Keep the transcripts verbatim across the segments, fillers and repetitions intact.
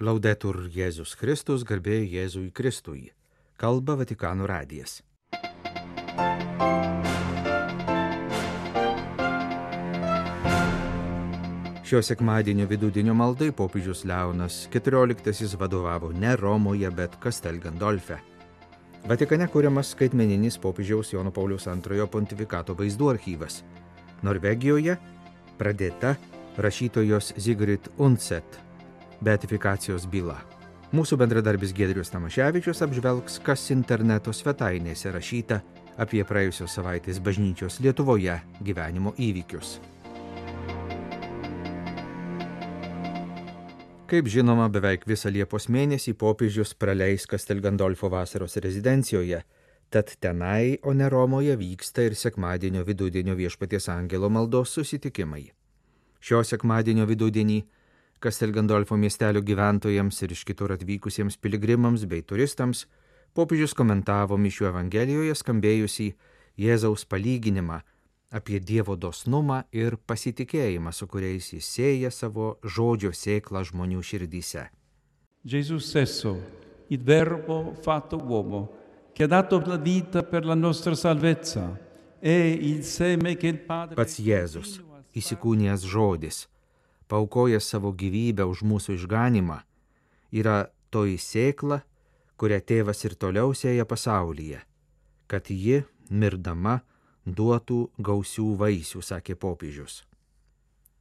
Laudetur Jėzus Kristus, garbė Jėzui Kristui. Kalba Vatikano radijas. Šio sekmadienio vidudienio maldai popiežius Leonas keturioliktasis vadovavo ne Romoje, bet Castel Gandolfe. Vatikane kuriamas skaitmeninis popiežiaus Jono Pauliaus antrojo pontifikato vaizdų archyvas. Norvegijoje pradėta rašytojos Sigrid Undset beatifikacijos byla. Mūsų bendradarbis Giedrius Tamaševičius apžvelgs, kas interneto svetainėse rašyta apie praėjusios savaitės bažnyčios Lietuvoje gyvenimo įvykius. Kaip žinoma, beveik visą Liepos mėnesį popiežius praleis Castel Gandolfo vasaros rezidencijoje, tad tenai, o ne Romoje, vyksta ir sekmadienio vidudienio Viešpaties angelo maldos susitikimai. Šio sekmadienio vidudienį Castel Gandolfo miestelio gyventojams ir iš kitur atvykusiems piligrimams bei turistams popiežius komentavo mišių evangelijoje skambėjusį Jėzaus palyginimą apie Dievo dosnumą ir pasitikėjimą, su kuriais jis sėja savo žodžio sėklą žmonių širdyse. Gesù stesso, il verbo fatto uomo, che ha dato la vita per la nostra salvezza, è il seme che il Padre... Pats Jėzus, įsikūnijęs žodis, paukojęs savo gyvybę už mūsų išganimą, yra toji sėkla, kurią tėvas ir toliau sėja pasaulyje, kad ji, mirdama, duotų gausių vaisių, sakė popiežius.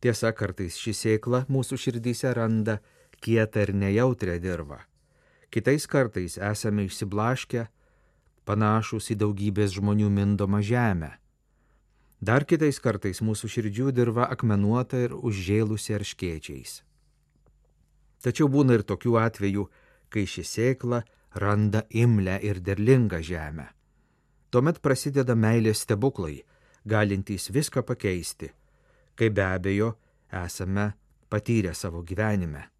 Tiesa, kartais ši sėkla mūsų širdyse randa kietą ir nejautrią dirvą. Kitais kartais esame išsiblaškę, panašus į daugybės žmonių mindomą žemę. Dar kitais kartais mūsų širdžių dirva akmenuota ir užžėlusi erškėčiais. Tačiau būna ir tokių atvejų, kai ši sėkla randa imlią ir derlingą žemę. Tuomet prasideda meilės stebuklai, galintys viską pakeisti, kai be abejo esame patyrę savo gyvenime.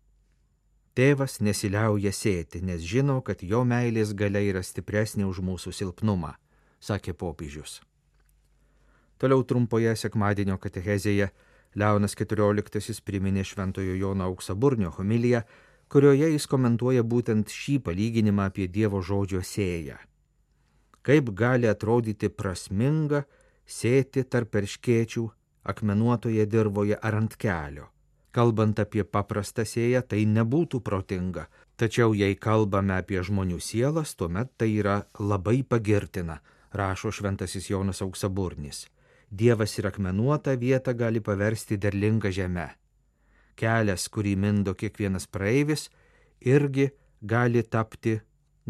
Tėvas nesiliauja sėti, nes žino, kad jo meilės galia yra stipresnė už mūsų silpnumą, sakė popiežius. Toliau trumpoje sekmadienio katechezėje Leonas keturioliktasis priminė šventojo Jono Auksaburnio homiliją, kurioje jis komentuoja būtent šį palyginimą apie Dievo žodžio sėją. Kaip gali atrodyti prasminga sėti tarp erškėčių akmenuotoje dirvoje ar ant kelio. Kalbant apie paprastą sėją, tai nebūtų protinga, tačiau jei kalbame apie žmonių sielas, tuomet tai yra labai pagirtina, rašo šventasis Jonas Auksaburnis. Dievas ir akmenuotą vietą gali paversti derlinga žeme. Kelias, kurį mindo kiekvienas praeivis, irgi gali tapti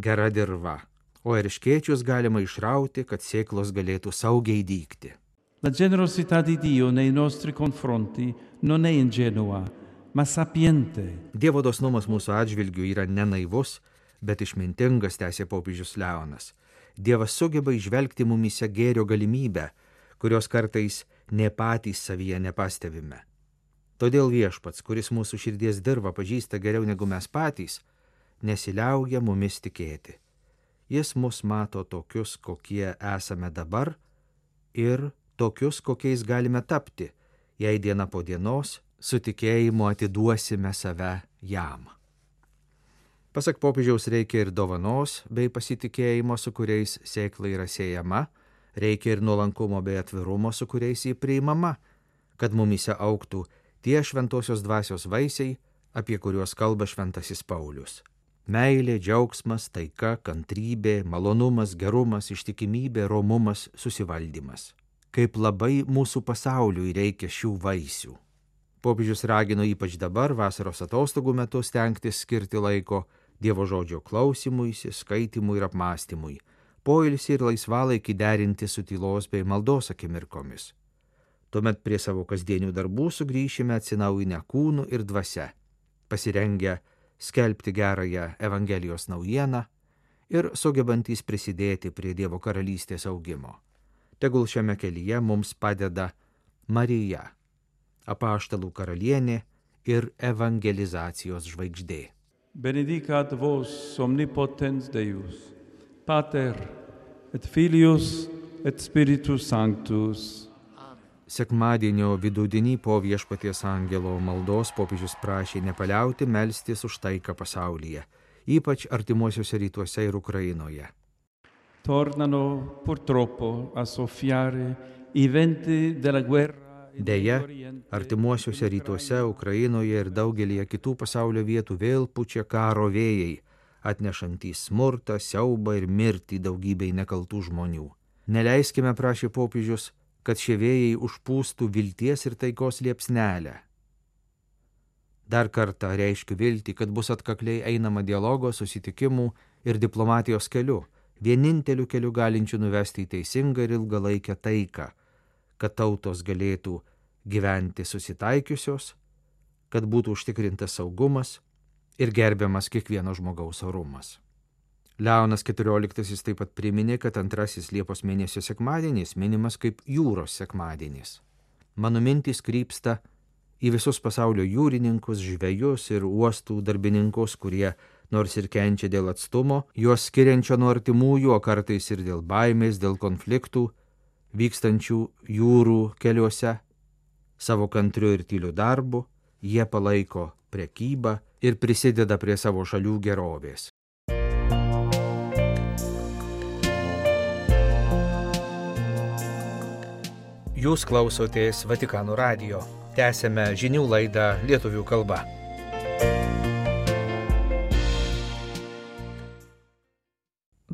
gera dirva, o erškėčius galima išrauti, kad sėklos galėtų saugiai dygti. La generosità di Dio nei nostri confronti non è ingenua, ma sapiente. Dievo dosnumas mūsų atžvilgių yra ne naivus, bet išmintingas, tęsė popiežius Leonas. Dievas sugeba įžvelgti mumyse gėrio galimybę, kurios kartais ne patys savyje nepastebime. Todėl Viešpats, kuris mūsų širdies dirvą pažįsta geriau negu mes patys, nesiliauja mumis tikėti. Jis mus mato tokius, kokie esame dabar ir tokius, kokiais galime tapti, jei diena po dienos su tikėjimu atiduosime save jam. Pasak popiežiaus, reikia ir dovanos bei pasitikėjimo, su kuriais sėkla yra sėjama, reikia ir nuolankumo bei atvirumo, su kuriais jį priimama, kad mumyse augtų tie šventosios dvasios vaisiai, apie kuriuos kalba šventasis Paulius. Meilė, džiaugsmas, taika, kantrybė, malonumas, gerumas, ištikimybė, romumas, susivaldymas. Kaip labai mūsų pasauliui reikia šių vaisių. Popiežius ragino ypač dabar, vasaros atostogų metu, stengtis skirti laiko Dievo žodžio klausimuisi, skaitimui ir apmąstymui, poilsį ir laisvalaikį derinti su tylos bei maldos akimirkomis. Tuomet prie savo kasdienių darbų sugrįšime atsinaujinę kūnų ir dvasia, pasirengę skelbti gerąją Evangelijos naujieną ir sugebantys prisidėti prie Dievo karalystės augimo. Tegul šiame kelyje mums padeda Marija, apaštalų karalienė ir evangelizacijos žvaigždė. Benedicat vos omnipotens Deus, Pater et Filius et Spiritus Sanctus. Sekmadienio vidudienį po Viešpaties angelo maldos popiežius prašė nepaliauti melstis už taiką pasaulyje, ypač artimuosiuose rytuose ir Ukrainoje. Tornano purtroppo a soffiare i venti della guerra. Deja, artimuosiuose rytuose, Ukrainoje ir daugelį kitų pasaulio vietų vėl pučia karo vėjai, atnešantys smurtą, siaubą ir mirtį daugybei nekaltų žmonių. Neleiskime, prašė popiežius, kad šie vėjai užpūstų vilties ir taikos liepsnelę. Dar kartą reiškiu viltį, kad bus atkakliai einama dialogo, susitikimų ir diplomatijos keliu, vieninteliu keliu galinčiu nuvesti į teisingą ir ilgalaikę taiką, kad tautos galėtų gyventi susitaikiusios, kad būtų užtikrintas saugumas ir gerbiamas kiekvieno žmogaus orumas. Leonas keturioliktasis taip pat priminė, kad antrasis Liepos mėnesio sekmadienis minimas kaip jūros sekmadienis. Mano mintys krypsta į visus pasaulio jūrininkus, žvejus ir uostų darbininkus, kurie, nors ir kenčia dėl atstumo, juos skiriančio nuo artimųjų, o kartais ir dėl baimės, dėl konfliktų, vykstančių jūrų keliuose, savo kantriu ir tyliu darbu, jie palaiko prekybą ir prisideda prie savo šalių gerovės. Jūs klausotės Vatikano radijo. Tęsėme žinių laidą lietuvių kalba.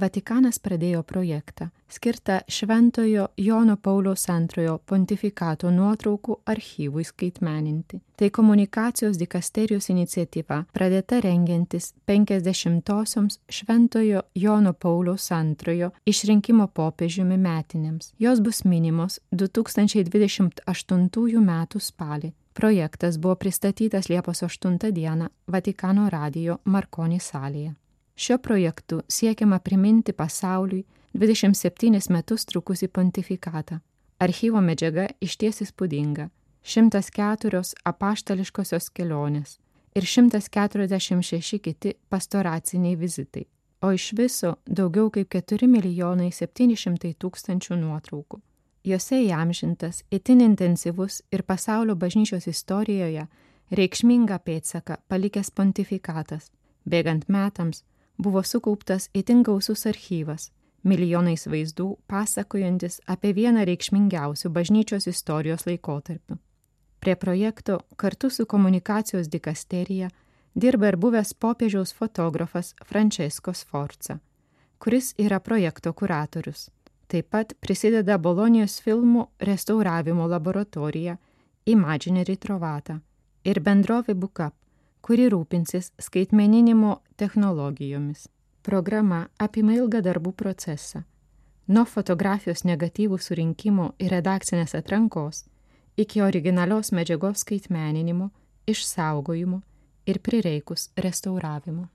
Vatikanas pradėjo projektą, skirtą Šventojo Jono Pauliaus antrojo pontifikato nuotraukų archyvui skaitmeninti. Tai komunikacijos dikasterijos iniciatyva, pradėta rengiantis penkiasdešimtosioms Šventojo Jono Pauliaus antrojo išrinkimo popiežiumi metinėms. Jos bus minimos du tūkstančiai dvidešimt aštuntųjų metų spalį. Projektas buvo pristatytas Liepos aštuntą dieną Vatikano radijo Marconi salėje. Šiuo projektu siekiama priminti pasauliui dvidešimt septynis metus trukusį pontifikatą. Archyvo medžiaga išties įspūdinga. šimtas keturios apaštališkosios kelionės ir šimtas keturiasdešimt šeši kiti pastoraciniai vizitai, o iš viso daugiau kaip keturi milijonai septyni šimtai tūkstančių nuotraukų. Jose įamžintas itin intensyvus ir pasaulio bažnyčios istorijoje reikšmingą pėdsaką palikęs pontifikatas. Bėgant metams buvo sukauptas itin gausus archyvas, milijonais vaizdų pasakojantis apie vieną reikšmingiausių bažnyčios istorijos laikotarpių. Prie projekto kartu su komunikacijos dikasterija dirba ir buvęs popiežiaus fotografas Francesco Sforza, kuris yra projekto kuratorius. Taip pat prisideda Bolonijos filmų restauravimo laboratorija Immagine Ritrovata ir bendrovė Bookup, kuri rūpinsis skaitmeninimo technologijomis. Programa apima ilgą darbų procesą. Nuo fotografijos negatyvų surinkimo ir redakcinės atrankos iki originalios medžiagos skaitmeninimo, išsaugojimo ir prireikus restauravimo.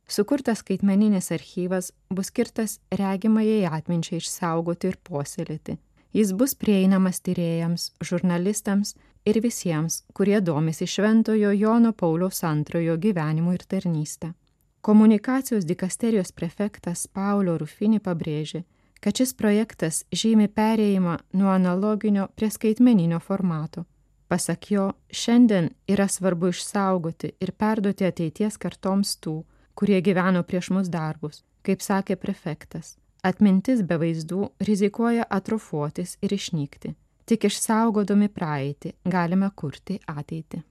Sukurtas skaitmeninis archyvas bus skirtas regimajai atminčiai išsaugoti ir puoselėti. Jis bus prieinamas tyrėjams, žurnalistams ir visiems, kurie domisi Šventojo Jono Pauliaus antrojo gyvenimu ir tarnyste. Komunikacijos dikasterijos prefektas Paolo Rufini pabrėžė, kad šis projektas žymi perėjimą nuo analoginio prie skaitmeninio formato. Pasak jo, šiandien yra svarbu išsaugoti ir perduoti ateities kartoms tų, kurie gyveno prieš mus darbus, kaip sakė prefektas. Atmintis be vaizdų rizikuoja atrofuotis ir išnykti. Tik išsaugodami praeitį galime kurti ateitį.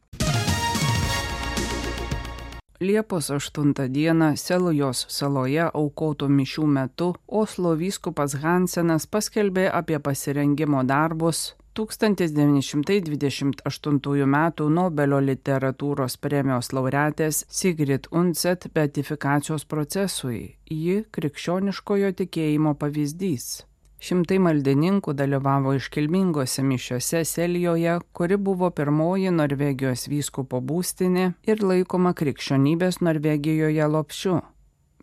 Liepos aštuntą dieną Selujos saloje aukotų mišių metu Oslo vyskupas Hansenas paskelbė apie pasirengimo darbus tūkstantis devyni šimtai dvidešimt aštuntųjų metų Nobelio literatūros premijos laureatės Sigrid Undset beatifikacijos procesui. Ji krikščioniškojo tikėjimo pavyzdys. Šimtai maldininkų dalyvavo iškilmingose mišiose Selijoje, kuri buvo pirmoji Norvegijos vyskupo būstinė ir laikoma krikščionybės Norvegijoje lopšiu.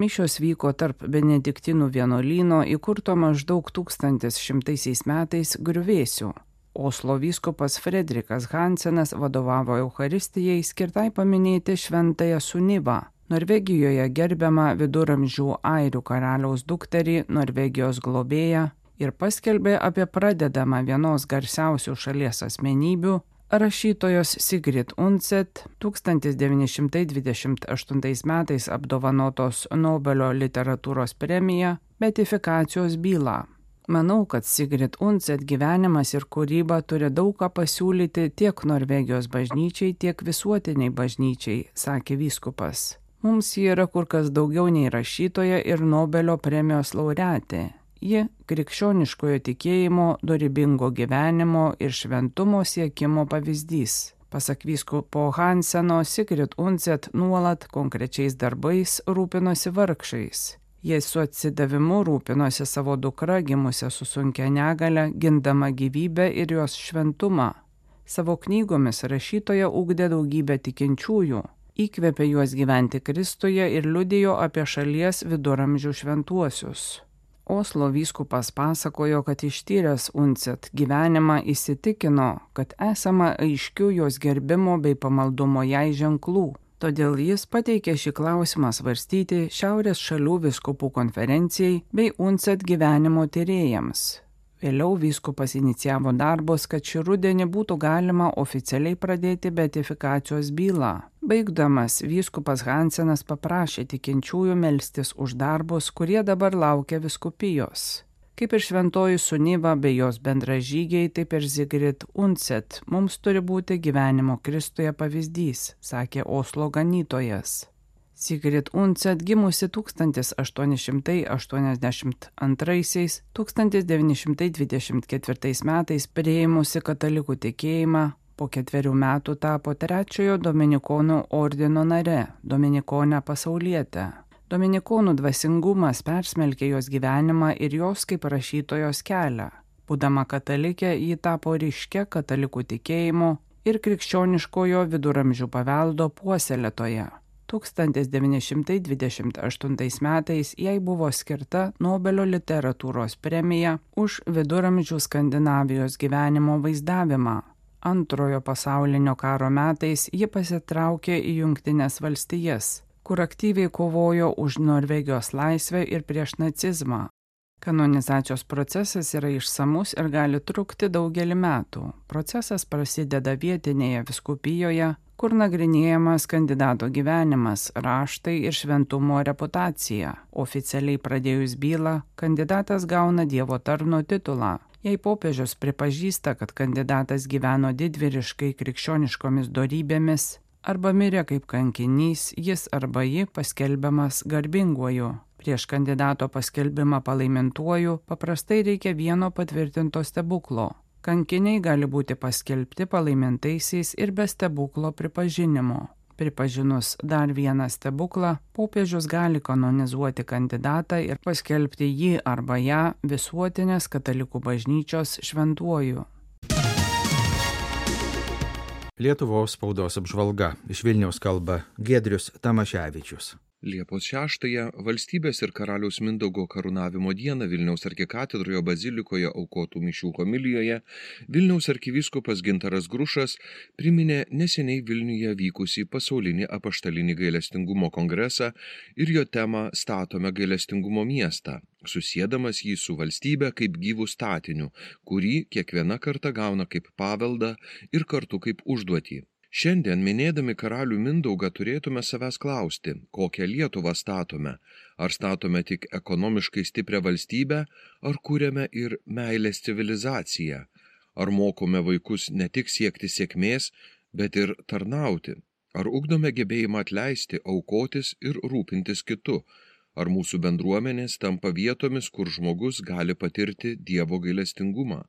Mišios vyko tarp benediktinų vienuolyno įkurto maždaug tūkstantis šimtaisiais metais griuvėsių. Oslo vyskupas Fredrikas Hansenas vadovavo Eucharistijai skirtai paminėti šventąją Sunivą, Norvegijoje gerbiamą viduramžių airių karaliaus dukterį, Norvegijos globėją, ir paskelbė apie pradedamą vienos garsiausių šalies asmenybių, rašytojos Sigrid Undset tūkstantis devyni šimtai dvidešimt aštuntais metais apdovanotos Nobelio literatūros premija beatifikacijos bylą. Manau, kad Sigrid Undset gyvenimas ir kūryba turi daug ką pasiūlyti tiek Norvegijos bažnyčiai, tiek visuotiniai bažnyčiai, sakė vyskupas. Mums ji yra kur kas daugiau nei rašytoja ir Nobelio premijos laureatė. Ji krikščioniškojo tikėjimo, dorybingo gyvenimo ir šventumo siekimo pavyzdys. Pasak vyskupo Hanseno, Sigrid Undset nuolat konkrečiais darbais rūpinosi vargšais. Jie su atsidavimu rūpinosi savo dukra gimusią su sunkia negale, gindama gyvybę ir jos šventumą. Savo knygomis rašytoja ugdė daugybę tikinčiųjų, įkvėpė juos gyventi Kristuje ir liudijo apie šalies viduramžių šventuosius. Oslo vyskupas pasakojo, kad ištyręs Undset gyvenimą įsitikino, kad esama aiškių jos gerbimo bei pamaldumo jai ženklų. Todėl jis pateikė šį klausimą svarstyti Šiaurės šalių vyskupų konferencijai bei Undset gyvenimo tyrėjams. Vėliau vyskupas inicijavo darbus, kad šį rudenį būtų galima oficialiai pradėti beatifikacijos bylą. Baigdamas, vyskupas Hansenas paprašė tikinčiųjų melstis už darbus, kurie dabar laukia vyskupijos. Kaip ir šventoji Suniva bei jos bendražygiai, taip ir Sigrid Undset mums turi būti gyvenimo Kristuje pavyzdys, sakė Oslo ganytojas. Sigrid Undset gimusi tūkstantis aštuoni šimtai aštuoniasdešimt antraisiais - tūkstantis devyni šimtai dvidešimt ketvirtais metais priėmusi katalikų tikėjimą, po ketverių metų tapo trečiojo dominikonų ordino nare, dominikonė pasaulietė. Dominikonų dvasingumas persmelkė jos gyvenimą ir jos kaip rašytojos kelią. Būdama katalikė, ji tapo ryškia katalikų tikėjimo ir krikščioniškojo viduramžių paveldo puoselėtoja. tūkstantis devyni šimtai dvidešimt aštuntais metais jai buvo skirta Nobelio literatūros premija už viduramžių Skandinavijos gyvenimo vaizdavimą. Antrojo pasaulinio karo metais ji pasitraukė į Jungtines valstijas, kur aktyviai kovojo už Norvegijos laisvę ir prieš nacizmą. Kanonizacijos procesas yra išsamus ir gali trukti daugelį metų. Procesas prasideda vietinėje vyskupijoje, kur nagrinėjamas kandidato gyvenimas, raštai ir šventumo reputacija. Oficialiai pradėjus bylą, kandidatas gauna Dievo tarno titulą. Jei popiežius pripažįsta, kad kandidatas gyveno didvyriškai krikščioniškomis dorybėmis, arba mirė kaip kankinys, jis arba ji paskelbiamas garbinguoju. Prieš kandidato paskelbimą palaimintuoju paprastai reikia vieno patvirtinto stebuklo. Kankiniai gali būti paskelbti palaimintaisiais ir be stebuklo pripažinimo. Pripažinus dar vieną stebuklą, popiežius gali kanonizuoti kandidatą ir paskelbti jį arba ją visuotinės katalikų bažnyčios šventuoju. Lietuvos spaudos apžvalga. Iš Vilniaus kalba Giedrius Tamaševičius. Liepos šeštąją valstybės ir karaliaus Mindaugo karūnavimo dieną Vilniaus arkikatedroje bazilikoje aukotų mišių homilijoje Vilniaus arkivyskupas Gintaras Grušas priminė neseniai Vilniuje vykusį pasaulinį apaštalinį gailestingumo kongresą ir jo temą Statome gailestingumo miestą, susiedamas jį su valstybe kaip gyvų statiniu, kurį kiekviena karta gauna kaip paveldą ir kartu kaip užduotį. Šiandien, minėdami karalių Mindaugą, turėtume savęs klausti, kokią Lietuvą statome. Ar statome tik ekonomiškai stiprią valstybę, ar kūrėme ir meilės civilizaciją? Ar mokome vaikus ne tik siekti sėkmės, bet ir tarnauti? Ar ugdome gebėjimą atleisti, aukotis ir rūpintis kitu? Ar mūsų bendruomenės tampa vietomis, kur žmogus gali patirti Dievo gailestingumą?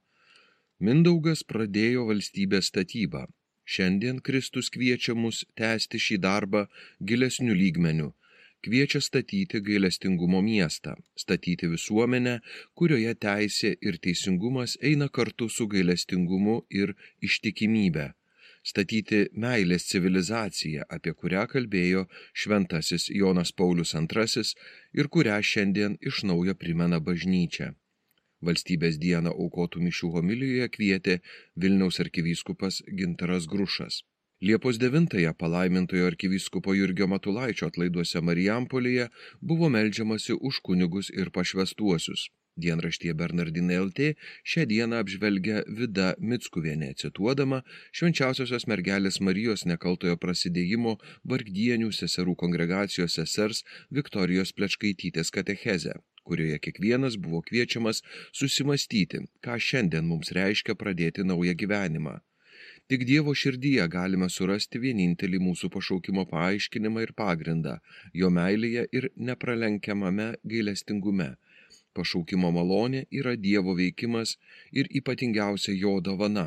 Mindaugas pradėjo valstybės statybą. Šiandien Kristus kviečia mus tęsti šį darbą gilesniu lygmeniu, kviečia statyti gailestingumo miestą, statyti visuomenę, kurioje teisė ir teisingumas eina kartu su gailestingumu ir ištikimybe, statyti meilės civilizaciją, apie kurią kalbėjo šventasis Jonas Paulius antrasis ir kurią šiandien iš naujo primena bažnyčia. Valstybės dieną aukotų mišių homilijoje kvietė Vilniaus arkivyskupas Gintaras Grušas. Liepos devintąją palaimintojo arkivyskupo Jurgio Matulaičio atlaiduose Marijampolėje buvo meldžiamasi už kunigus ir pašvęstuosius. Dienraštyje Bernardinai L T šią dieną apžvelgia Vida Mickuvienė, cituodama Švenčiausiosios mergelės Marijos nekaltojo prasidėjimo Vargdienių seserų kongregacijos sesers Viktorijos Plečkaitytės katechezę, kurioje kiekvienas buvo kviečiamas susimastyti, ką šiandien mums reiškia pradėti naują gyvenimą. Tik Dievo širdyje galime surasti vienintelį mūsų pašaukimo paaiškinimą ir pagrindą, jo meilėje ir nepralenkiamame gailestingume. Pašaukimo malonė yra Dievo veikimas ir ypatingiausia jo dovana.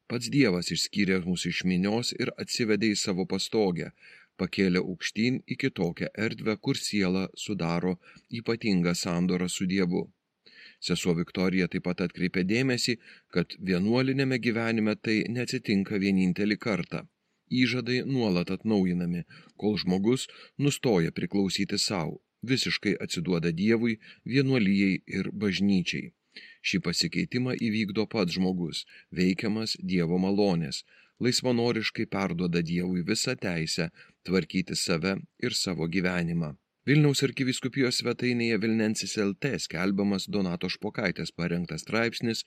Pats Dievas išskyrė mus iš minios ir atsivedė į savo pastogę, pakėlė aukštyn į kitokią erdvę, kur siela sudaro ypatingą sandorą su Dievu. Sesuo Viktorija taip pat atkreipė dėmesį, kad vienuolinėme gyvenime tai neatsitinka vienintelį kartą. Įžadai nuolat atnaujinami, kol žmogus nustoja priklausyti savo. Visiškai atsiduoda Dievui, vienuolijai ir bažnyčiai. Šį pasikeitimą įvykdo pats žmogus, veikiamas Dievo malonės, laisvanoriškai perduoda Dievui visą teisę tvarkyti save ir savo gyvenimą. Vilniaus arkivyskupijos svetainėje Vilnensis L T skelbiamas Donato Špokaitės parengtas straipsnis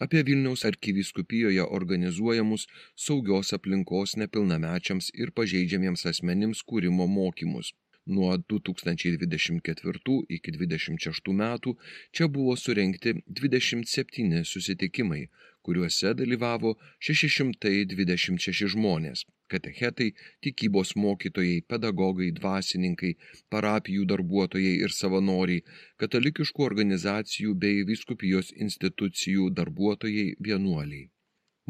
apie Vilniaus arkivyskupijoje organizuojamus saugios aplinkos nepilnamečiams ir pažeidžiamiems asmenims kūrimo mokymus. Nuo du tūkstančiai dvidešimt ketvirtų iki dvidešimt šeštų metų čia buvo surengti dvidešimt septyni susitikimai, kuriuose dalyvavo šeši šimtai dvidešimt šeši žmonės – katechetai, tikybos mokytojai, pedagogai, dvasininkai, parapijų darbuotojai ir savanoriai, katalikiškų organizacijų bei vyskupijos institucijų darbuotojai, vienuoliai.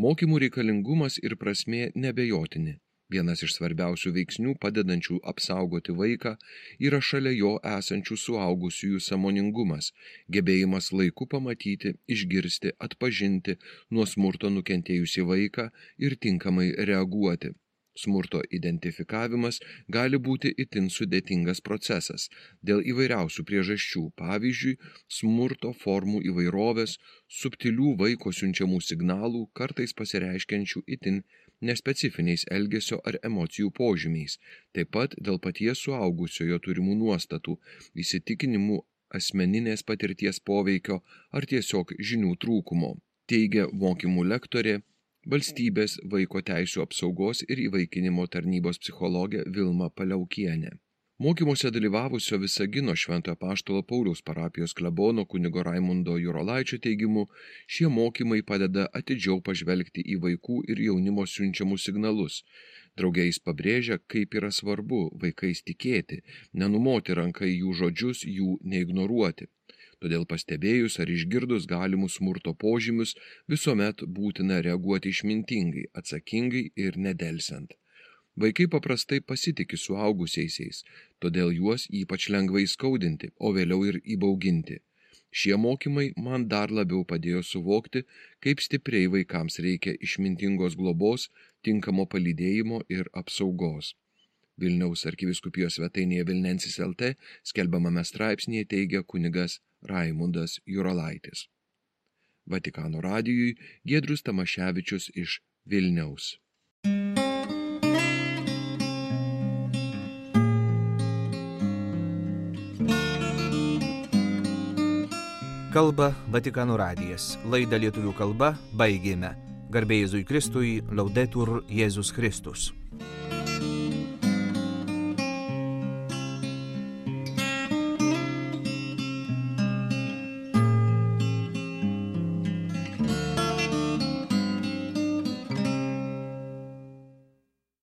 Mokymų reikalingumas ir prasmė nebejotini. Vienas iš svarbiausių veiksnių padedančių apsaugoti vaiką yra šalia jo esančių suaugusiųjų sąmoningumas, gebėjimas laiku pamatyti, išgirsti, atpažinti nuo smurto nukentėjusį vaiką ir tinkamai reaguoti. Smurto identifikavimas gali būti itin sudėtingas procesas dėl įvairiausių priežasčių, pavyzdžiui, smurto formų įvairovės, subtilių vaiko siunčiamų signalų, kartais pasireiškiančių itin nespecifiniais elgesio ar emocijų požymiais, taip pat dėl paties suaugusiojo turimų nuostatų, įsitikinimų, asmeninės patirties poveikio ar tiesiog žinių trūkumo, teigia mokymų lektorė, Valstybės vaiko teisių apsaugos ir įvaikinimo tarnybos psichologė Vilma Paliaukienė. Mokymuose dalyvavusio Visagino Šventojo Apaštalo Pauliaus parapijos klebono kunigo Raimundo Jurolaičio teigimu, šie mokymai padeda atidžiau pažvelgti į vaikų ir jaunimo siunčiamus signalus. Drauge jis pabrėžia, kaip yra svarbu vaikais tikėti, nenumoti ranką į jų žodžius, jų neignoruoti. Todėl pastebėjus ar išgirdus galimus smurto požymius, visuomet būtina reaguoti išmintingai, atsakingai ir nedelsiant. Vaikai paprastai pasitiki suaugusiaisiais, todėl juos ypač lengvai skaudinti, o vėliau ir įbauginti. Šie mokymai man dar labiau padėjo suvokti, kaip stipriai vaikams reikia išmintingos globos, tinkamo palydėjimo ir apsaugos. Vilniaus arkivyskupijos svetainėje Vilnensis L T skelbiamame straipsnėje teigia kunigas Raimundas Jurolaitis. Vatikano radijui Giedrius Tamaševičius iš Vilniaus. Kalba Vatikano radijas. Laidą lietuvių kalba baigėme. Garbė Jėzui Kristui, Laudetur Jėzus Kristus.